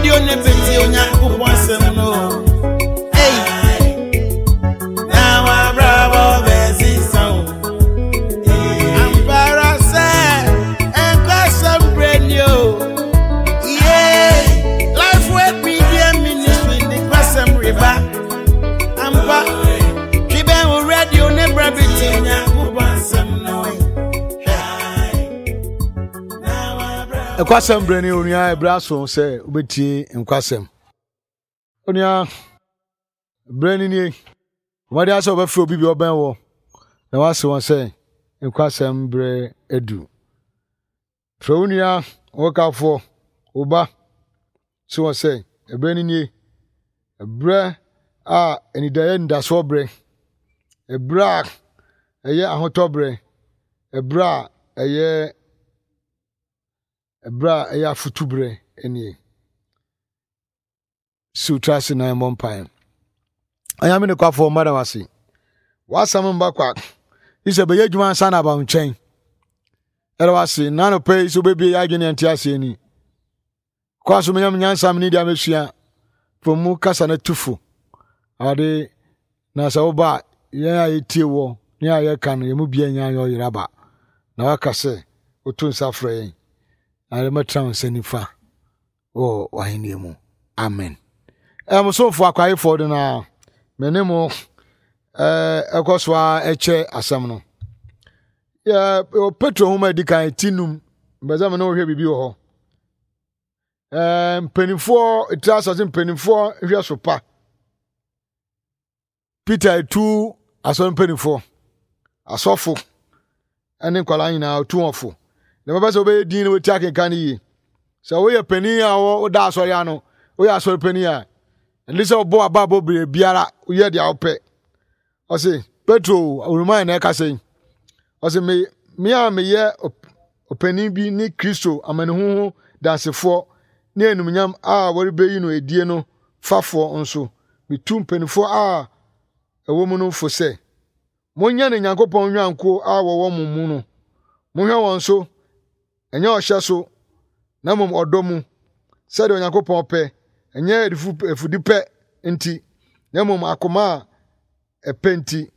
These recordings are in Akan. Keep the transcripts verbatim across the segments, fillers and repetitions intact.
Radio ne bɛtie Onyankopɔn asɛm no. Ei, na wabrabɔ bɛsesa o. Ampa ara sɛ nkwasɛm berɛ ni o. Yeah, Lifeway Media Ministry de nkwasɛm reba. Ampa, twe bɛn wo radio ne bra bɛtie Onyankopɔn asɛm no. Nkwasɛm berɛ ni, onua. Ɛberɛ aso sɛ wobɛtie nkwasɛm. Onua, berɛ ni nie. Wɔde asɛ wɔbɛfrɛ obi bi ɔbɛn wɔ na wase wɔn sɛ nkwasɛm berɛ adu. Frɛ wo nua, wo kafoɔ, wo ba, se wɔn sɛ ɛberɛ ni nie. Ɛberɛ a anidaeɛ anidasoɔ berɛ, ɛberɛ a ɛyɛ ahotɔ berɛ, ɛberɛ a ɛyɛ ɛberɛ a ɛyɛ afotu berɛ nie. Si wo tiri ase na yɛmmɔ mpaeɛ. Onyame nokwafoɔ, mmada wo ase. W'asɛm mba kwa. Yi sɛ bɛyɛ adwuma ansa na aba wo nkyɛn. Ɛda wo ase na anɔpa yi sɛ wobɛbie yɛ adwene yɛnte aseɛ ni. Kɔ so menyam nyansa mene deɛ mɛsua. Fo mu kasa no tufo. Awurade, na sɛ woba a, yɛn a yɛtie wɔ ne a yɛka no, yɛn mu bia nya yɛ ɔyera ba. Na waka sɛ woto nsa frɛ yɛn. Na yɛmɛtena wo nsa nifa wɔ w'ahenni mu. Amen. Ɛmosomfo akwayefoɔ de na me ne mo ɛkɔ so a ɛkyɛ asɛm no. Yɛ Petro nhoma edi kan ti num, mbɛsɛ me ne wohwɛ biribi wɔ hɔ. Ɛɛ mpanimfoɔ etiri asase mpanimfoɔ nhwɛ so pa. Peter etu asɔre mpanimfoɔ, asɔfo ɛne nkwadaa nyinaa otu wɔn fo. Na bɛbɛ sɛ wobɛyɛ din na wotia akenkan no yie. Sɛ woyɛ panin a woda asɔre ano, woyɛ asɔre panin a, ɛne sɛ wobɔ aba abɔ bere biara, woyɛ deɛ wopɛ. Ɔse Petro oruman na ɛkasa yi. Ɔse me me a meyɛ ɔpanin bi ne Kristo amanehunu ho dansefoɔ ne enumnyam a wɔrebɛyi no edie no fafoɔ nso, metu mpanimfoɔ a ɛwɔ mu no fo sɛ, monyɛ ne Nyankopɔn nnwankuo a wɔwɔ mo mu no. Monhwɛ wɔn so, ɛnyɛ ɔhyɛ so, na mmom ɔdɔ mu, sɛdeɛ Onyankopɔn pɛ, ɛnyɛ afudipɛ nti, na mmom akoma a ɛpɛ nti,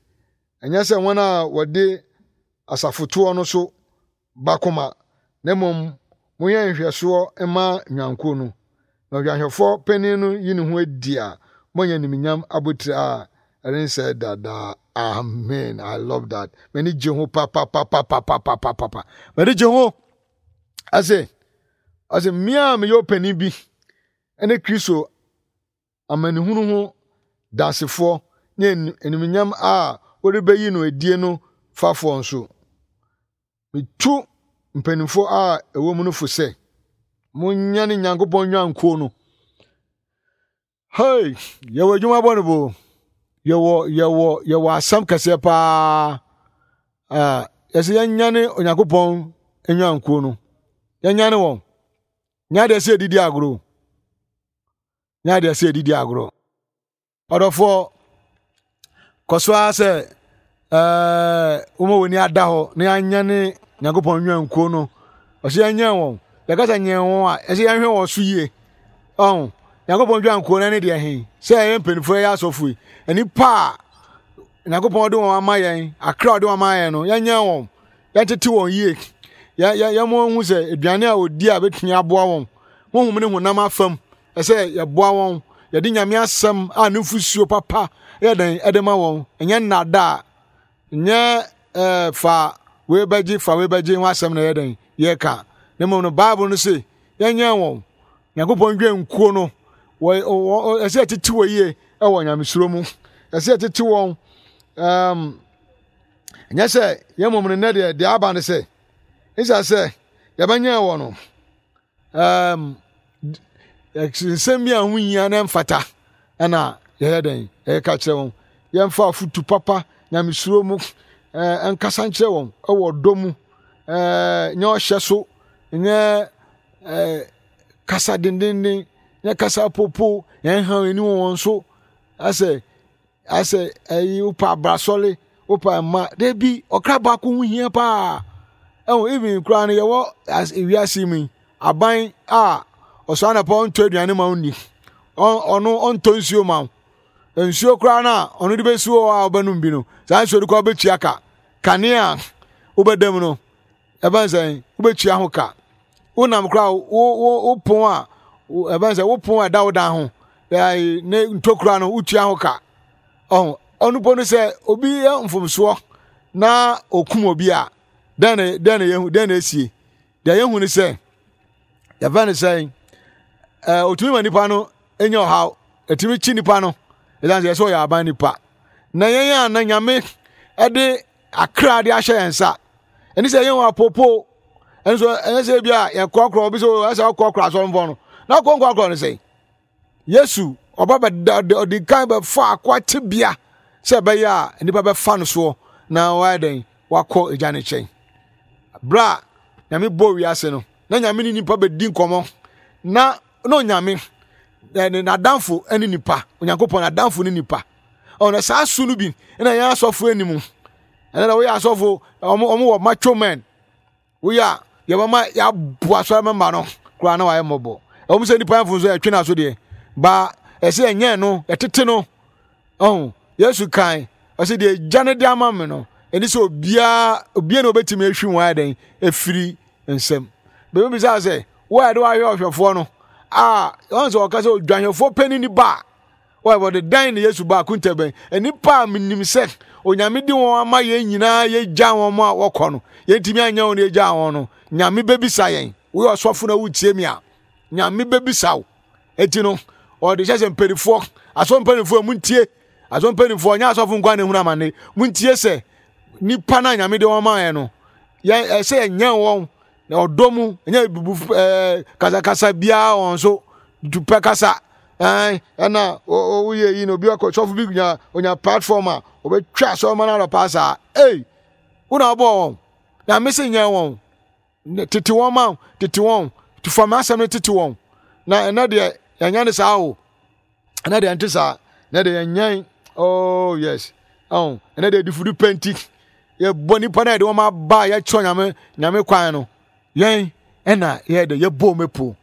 ɛnyɛ sɛ wɔn a wɔde asafotoɔ no so bakoma, na mmom monyɛ nhwɛsoɔ mma nnwankuo no. Na odwanhwɛfoɔ panin no yi ne ho adi a, monyɛ nimnyam abotire a ɛrensɛe dada. Amen. I love that. M'ani gye ho papapapapapapapa. M'ani gye ho. Ase, ase mmea a meyɛ ɔpanin bi ne Kristo amanehunu ho dansefoɔ ne enumnyam a wɔrebɛyi no edie no fafoɔ nso. Metu mpanimfoɔ a ɛwɔ mu no fo sɛ, monyɛ ne Nyankopɔn nnwankuo no. Hey, yɛwɔ adwuma bɔ no bo. Yɛwɔ yɛwɔ yɛwɔ asɛm kɛseɛ paa. Ah, yɛsɛ yɛnyane Onyankopɔn nnwankuo no. Yɛnyane wɔn. Nyɛ adeɛ sɛ yɛdidi agorɔ. Nyɛ adeɛ sɛ yɛdidi agorɔ. Ɔdɔfoɔ, kɔ so ara sɛ ɛɛ wɔn a wɔn ani ada hɔ na yɛanyane Nyankopɔn nnwankuo no. Ɔsɛ yɛnyɛn wɔn. Yɛkasa nyɛn wɔn a, ɛsɛ yɛnhwɛ wɔn so yie. Ɔn, Nyankopɔn nnwankuo no ne deɛ he, sɛ ɛyɛ mpanimfoɔ yɛ asɔfo yi, nnipa a Nyankopɔn de wɔn ama yɛn, akra a ɔde wɔn ama yɛn no, yɛnyɛn wɔn, yɛntete wɔn yie. Yɛ yɛ yɛn mo hu sɛ aduane a wɔdi a bɛtumi aboa wɔn, honhom ne honam afam, ɛsɛ yɛboa wɔn, yɛde Nyame asɛm a ne mfusuo papa yɛ dɛn ɛde ma wɔn, ɛnyɛ nnada a, nyɛ ɛɛ fa wei bɛgye fa wei bɛgye ho asɛm na yɛ dɛn yɛka. Na mmom no Bible no se yɛnyɛn wɔn. Nyankopɔn dwankuo no, wɔ wɔ ɛsɛ yɛtete wɔ yie ɛwɔ nyamesuro mu. Ɛsɛ yɛtete wɔn. Ɛɛm, ɛnyɛ sɛ yɛn mmom no nnɛ deɛ deɛ aba no sɛ, ɛsɛ sɛ yɛbɛnyɛn wɔn no. Ɛɛm, nsɛm bi a ho hia na ɛmfata ɛna yɛyɛ dɛn yɛka kyerɛ wɔn. Yɛmfa afotu papa nyamesuro mu ɛɛ nkasa nkyerɛ wɔn ɛwɔ ɔdɔ mu. Ɛɛ nyɛ ɔhyɛ so, nyɛ ɛɛ kasa dendenden, nyɛ kasa popo, yɛn ha ani wɔ wɔn so. Asɛ asɛ ɛyi wopa abrasɔle, wopa mma. Debi ɔkra baako ho hia paa. Ɛwɔ even koraa no yɛwɔ ewiase mu yi, aban a Ɔsɔ anɔpa ɔntɔ aduane ma wo nni. Ɔno ɔntɔ nsuo ma wo. Nsuo koraa no a ɔno de bɛsi hɔ a wobɛnom bi no, saa nsuo no koraa wobɛtua ka. Kanea a wobɛda mu no, ɛbɛn sɛ wobɛtua ho ka. Wonam koraa wo wo wo pon a ɛbɛn sɛ wo pon a ɛda wo dan ho ne ntokura no wotua ho ka. Ɔho ɔno po no sɛ obi yɛ mfomsoɔ na okum obi a, dɛn na dɛn na yɛhu dɛn na esie? Deɛ yɛhu ne sɛ yɛfɛ no sɛ ɛɛ otumi ma nipa no nya ɔhaw, etumi kyi nipa no ɛsan sɛ yɛsɛ ɔyɛ aban nipa. Na yɛn a na Nyame ɛde akra de ahyɛ yɛn nsa, ɛne sɛ yɛn wɔ apopo ɛnso ɛnyɛ sɛ ebi a yɛkorɔkorɔ obi sɛ ɛsɛ ɔkorɔkorɔ asɔrɔmfoɔ no na ɔkɔ nkorɔkorɔ no sɛ Yesu ɔba bɛda ɔde kan bɛfa akoa tebea sɛ ɛbɛyɛ a nnipa bɛfa no soɔ na wayɛ dɛn wakɔ agya no nkyɛn. Berɛ a Nyame bɔɔ wiase no, na Nyame ne nipa bɛdi nkɔmmɔ na na Onyame ne n'adamfo ne nipa, Onyankopɔn n'adamfo ne nipa. Ɔno saa su no bi na yɛn asɔfo anim. Ɛnɛ na woyɛ asɔfo, wɔn wɔ macho men. Woyɛ a, yɛbɛma yɛaboa asɔre mɛmba no koraa na wayɛ mmɔbɔ. Ɛwom sɛ nnipa mfomso yɛtwe no aso deɛ, ba ɛsɛ yɛnyɛn no, yɛtete no. Ɔho, Yesu kan, ɔsɛ deɛ agya no de ama me no, ɛne sɛ obiara, obiara na obɛtumi ahwi wɔn ayɛ dɛn, afiri nsam. Bɛbi bisa sɛ, wo a yɛde wahwɛ ɔhwɛfoɔ no, a, wɔn sɛ ɔka sɛ odwanhwɛfoɔ panin ni ba a, Wɔde dɛn na Yesu baa akonta bɛn? Nnipa a menim sɛ Onyame de wɔn ama yɛn nyinaa yɛgya wɔn a wɔkɔ no, yɛntumi anyɛ wɔn yɛgya wɔn no, Nyame bɛbisa yɛn. Woyɛ ɔsɔfo na wotie me a, Nyame bɛbisa wo. Enti no, ɔde hyɛ sɛ mpanimfoɔ, asɔ mpanimfoɔ, muntie. Asɔ mpanimfoɔ, nyɛ asɔfo nko na ehunu amane. Muntie sɛ nipa no a Nyame de wɔn maa yɛn no, yɛn ɛsɛ yɛnyɛn wɔn na ɔdɔ mu, ɛnyɛ bubu ɛɛ kasakasa biara wɔn so, dupɛ kasa. Ɛn ɛna woyɛ yi na obi akɔ sɔfo bi nya onya platform a ɔbɛtwa asɔrɔma no anɔpa saa. Ei, wo na wobɔɔ wɔn. Na me se nyɛ wɔn. Tete wɔn ma tete wɔn. Fa m'asɛm no tete wɔn. Na ɛnɛ deɛ yɛnyɛ ne saa o. Ɛnɛ deɛ ɛnte saa. Ɛnɛ deɛ yɛnyɛn. Oh yes. Oh, ɛnɛ deɛ difudu pɛnti. Yɛbɔ nipa na yɛde wɔn aba yɛkyerɛ nyame nyame kwan no. Yɛn ɛna yɛ de yɛbɔ wɔn epo.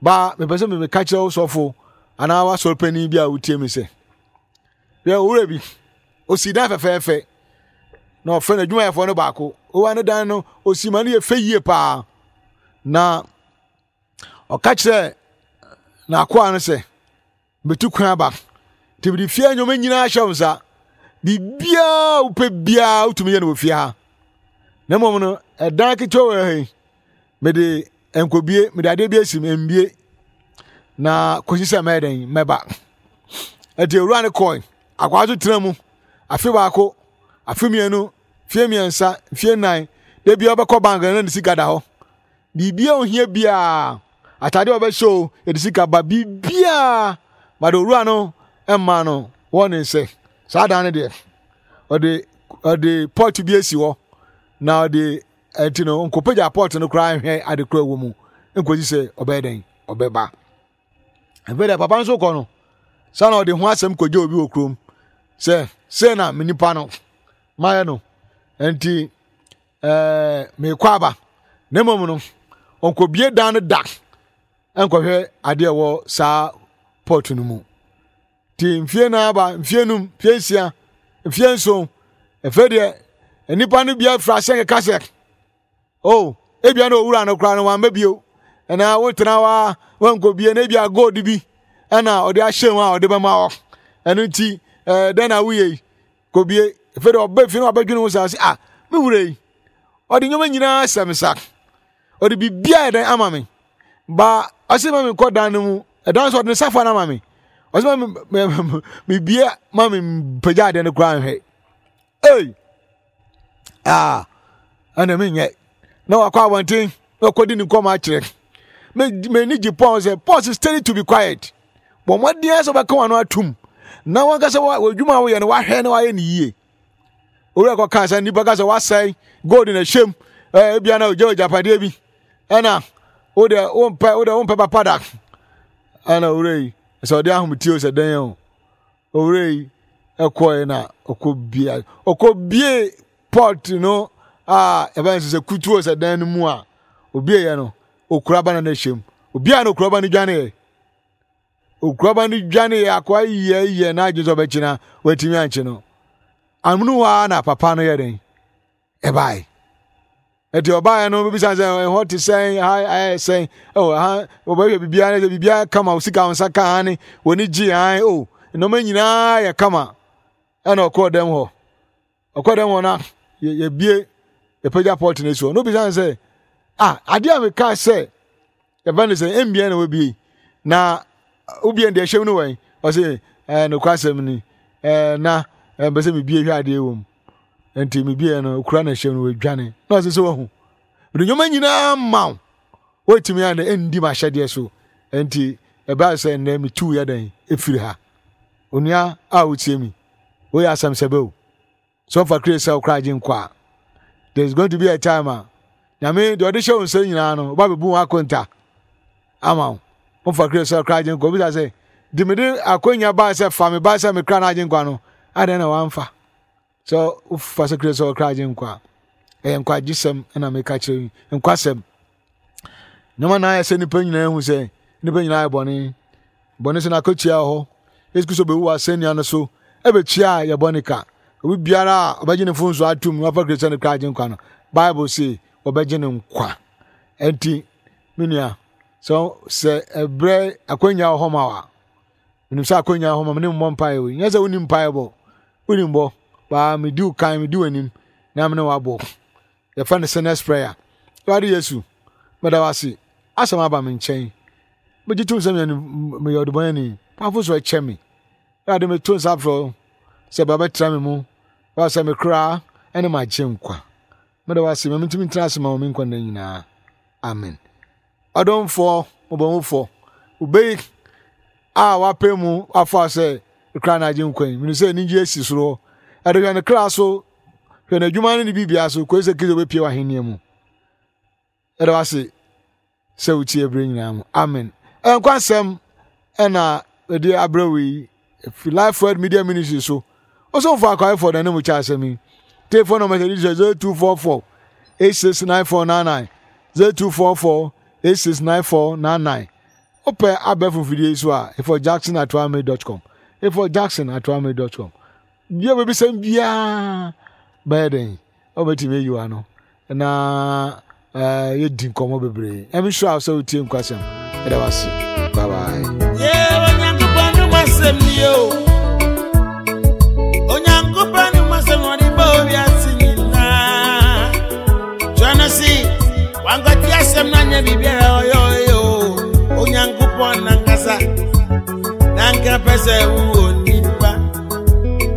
Ba mepɛ sɛ meka kyerɛ wo sɔfo anaa w'asɔre panyin bi a wotie me sɛ, hwɛ owura bi, osi dan fɛfɛɛfɛ na ɔfrɛ n'adwumayɛfoɔ no baako. Owura ne dan no osi ma no yɛ fɛ yie paa. Na ɔka kyerɛ n'akoa no sɛ, metu kwan aba nti mede fie nneɛma nyinaa hyɛ wo nsa. Biribiara wopɛ biara wotumi yɛ no wɔ fie ha. Na mmom no, ɛdan ketewa wɔ ha yi, mede nkɔbie, mede adeɛ bi asi mu, mbie na kɔsi sɛ mɛyɛ dɛn mɛba. Ɛti owura no kɔe, akwaa so tena mu afe baako, afe mmienu, fie mmiɛnsa, fie nnan, da biara ɔbɛkɔ bank na ne sika da hɔ. Biribiara ohia biara, atade a ɔbɛhyɛ o, yɛde sika ba, biribiara. But owura no mma no wɔ ne nsɛ. Saa dan no deɛ, ɔde ɔde pot bi asi hɔ na ɔde ɛnti no nkɔpagya pot no koraa nhwɛ ade koraa wɔ mu nkɔsi sɛ ɔbɛyɛ dɛn ɔbɛba. Afei deɛ papa nso kɔ no, saa na ɔde ho asɛm kɔgye obi wɔ kurom sɛ sei na me nipa no mayɛ no nti ɛɛ meekɔ aba na mmom no ɔnkɔbie dan no da nkɔhwɛ adeɛ ɛwɔ saa pɔt no mu. Nti mfie nan aba, mfie num, mfie nsia, mfie nson, afei deɛ nnipa no bi afiri ase keka sɛ oh ebia na owura no koraa no wamma bio ɛna wotena hɔ a wankɔbie na ebia gold bi ɛna ɔde ahyɛ mu a ɔde bɛma hɔ ɛno nti ɛɛ dɛn na woyɛ yi kɔbie. Afei deɛ ɔba fie na wabɛdwene ho saa sɛ ah me wura yi ɔde nneɛma nyinaa hyɛ me sa, ɔde biribiara yɛ dɛn ama me, ba ɔsɛ ma menkɔ dan no mu, ɛdan so ɔde ne safoa no ama me, ɔsɛ ma me mebie ma me mpagya adeɛ no koraa nhwɛ. Ei, ah ɛna menyɛ na wakɔ abɔnten na wakɔdi ne nkɔmɔ akyerɛ m'ani gye Paul sɛ Paul sɛ steady to be quiet. Bɔ mmɔden sɛ wobɛka w'ano atom na wankasa w'adwuma a woyɛ no wahwɛ na wayɛ no yie. Owura kɔka sɛ nnipa ka sɛ wasɛe gold na ɛhyɛm ebia na ogya agyapadeɛ bi ɛna wode wompɛ wode wompɛ papa da ɛna owura yi sɛ ɔde ahometie sɛ dɛn o owura yi ɛkɔe na ɔkɔbie ɔkɔbie pot no a ɛbɛn sɛ sɛ kutuo sɛ dan no mu a obieɛ no okura ba na na ɛhyɛ mu Obiara na okuraba no dwaneeɛ. Okuraba no dwaneeɛ akoa yɛ yɛ n'adwene sɛ ɔbɛkye na watumi ankye no. Amono hɔ ara na papa no yɛ dɛn? Ɛbae. Ɛti ɔbaeɛ no bɛbisa sɛ ɛhɔ te sɛn, ha ayɛ sɛn, oh, ha wɔbɛhwɛ biribiara sɛ biribiara kama, wo sika wo nsa ka ane, w'ani gye an, oh, nneɛma nyinaa yɛ kama. Ɛna ɔkɔɔ dɛm hɔ. Ɔkɔɔ dɛm hɔ na yɛbie yɛpagya pɔt no so. Na obisa no sɛ, ah, adeɛ a mekaa sɛ yɛfɛ no sɛ ɛmbia na wabie na wobie deɛ ɛhyɛm no wɛn? Ɔse ɛɛ nokwasɛm ni, ɛɛ na ɛmpɛ sɛ mebie hwɛ adeɛ wɔ mu. Nti mebie no okura na ɛhyɛm no wadwane. Na ɔse sɛ wahu mede nneɛma nyinaa ma wo, woatumi a ɛndi m'ahyɛdeɛ so. Nti ɛbaa sɛ nnɛ metu yɛ dɛn ɛfiri ha. Onua a wotie mi, woyɛ asɛm sɛ bɛo sɛ ɔfa kire sɛ wokora agye nkɔ a, there is going to be a time a Nyame deɛ ɔde hyɛ wo nsa nyinaa no ɔba bɛbu ho akonta ama wo. Womfa kire sɛ wokora agye nkɔ, obisa sɛ de mede akonya baa sɛ fa me baa sɛ mekra no agye nkwa no, adɛn na wamfa? Sɛ wofa sɛ kire sɛ wokra agye nkwa a, ɛyɛ nkwagyesɛm na meka kyerɛ yi, nkwasɛm. Nneɛma na ayɛ sɛ nnipa nyinaa hu sɛ nnipa nyinaa ayɛ bɔne. Bɔne so na akatua wɔ hɔ. Yesu Kristo bɛwu wɔ asɛnnua no so ɛbɛtua yɛ bɔne ka. Obi biara a ɔbɛgye ne mfomso atom na wafa Kristo sɛ ne kra agye nkwa no, Bible se wɔbɛgye no nkwa. Enti, me nua, sɛ sɛ ɛbrɛ akwanya wɔ hɔ ma wa, menim sɛ akwanya wɔ hɔ ma me ne mmɔ mpaeɛ wei. Nyɛ sɛ wonim mpaeɛ bɔ, wonim bɔ, baa medi wo kan, medi w'anim na me ne wabɔ. Yɛfrɛ no sinner's prayer. Awurade Yesu, meda wo ase. Asɛm aba me nkyɛn. Megye tom sɛ meyɛ ɔdebɔneyɛni. Pamfo so ɛkyɛ me. Awurade, meto nsa frɛ wo sɛ bra bɛtra me mu. Bra sɛ me kra ne m'agye nkwa. Meda wo ase ma mentumi ntena ase ma wo me nkwa nna nyinaa. Amen. Ɔdomfoɔ, mmɔbɔhufoɔ, wobɛyi a wapɛ mu afa sɛ kra na agye nkwa yi. Menim sɛ anigye asi soro hɔ. Ɛde hwɛ ne kra so, hwɛ n'adwuma ne ne biribiara so, kɔsi sɛ Kristo bɛpie wɔ ahenni mu. Ɛda wo ase sɛ wotie berɛ nyinaa mu. Amen. Nkwa asɛm ɛna ɛde abrɛ wo yi fi Life Word Media Ministry so. Ɔsomfo akwaefoɔ na ne mu kyɛ asɛm yi. Telephone number sɛ ɛdi zero two four four eight six nine four nine nine zero two four four eight six nine four nine nine. Wopɛ abɛɛfo mfidie yi so a, efo jackson at dot com, efo jackson at dot com. Bia bɛbisɛm biara bɛyɛ dɛn wobɛtumi ayi wa no na uh, yɛdi nkɔmmɔ bebree. Ɛme sure sɛ wotie nkwasɛm. Ɛda wase. Bye bye. Yeah, Onyankopɔn no masɛm ni o. Onyankopɔn no masɛm ɔde bɔ wiase nyinaa. Twerɛ no se, wankɔte asɛm no anyɛ biribiara ɔyɛ ɔyɛ o. Onyankopɔn nankasa, nanka pɛ sɛ wowɔ nipa.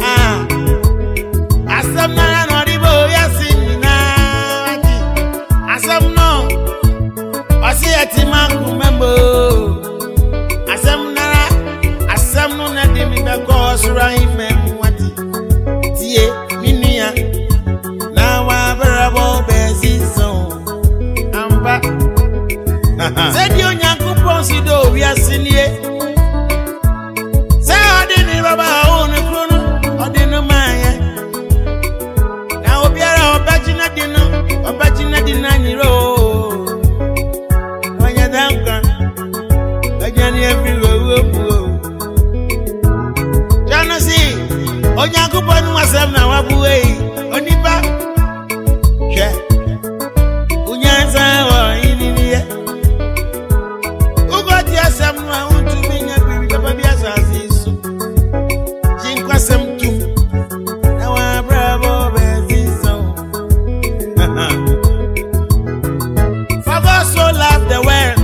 Ah, asɛm no ara na ɔde bɔ wiase nyinaa. Asɛm no, ɔse yɛte makoma mu. Asɛm nara, asɛm no na de me bɛkɔ ɔsoro ahemman mu ate. Tie, me nua, na wabrabɔ bɛsesa o. Ampa. Sɛdeɛ Onyankopɔn si dɔ wiase nie. Sɛ ɔde ne baba a ɔwɔ ne kuro no, ɔde no maa yɛn. Na obiara a ɔbɛgye n'adi no, ɔbɛgye n'adi no anyera o. Ɔnyɛ dɛ nkwa, ɔdwane afiri owuo mu o. Twa no se, Onyankopɔn no asɛm na wabue yi, onipa, hwɛ, wonyansa wɔ yininiɛ. Wokɔte asɛm no a wontumi nya biribi papa bi asase yi so. Gye nkwasɛm tom, na wabrabɔ bɛsesa o. For God so loved the world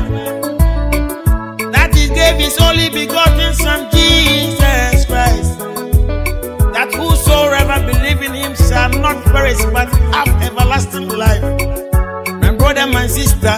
that he gave his only begotten Son, Jesus Christ, that whosoever believe in him shall not perish but have everlasting life. My brother, my sister,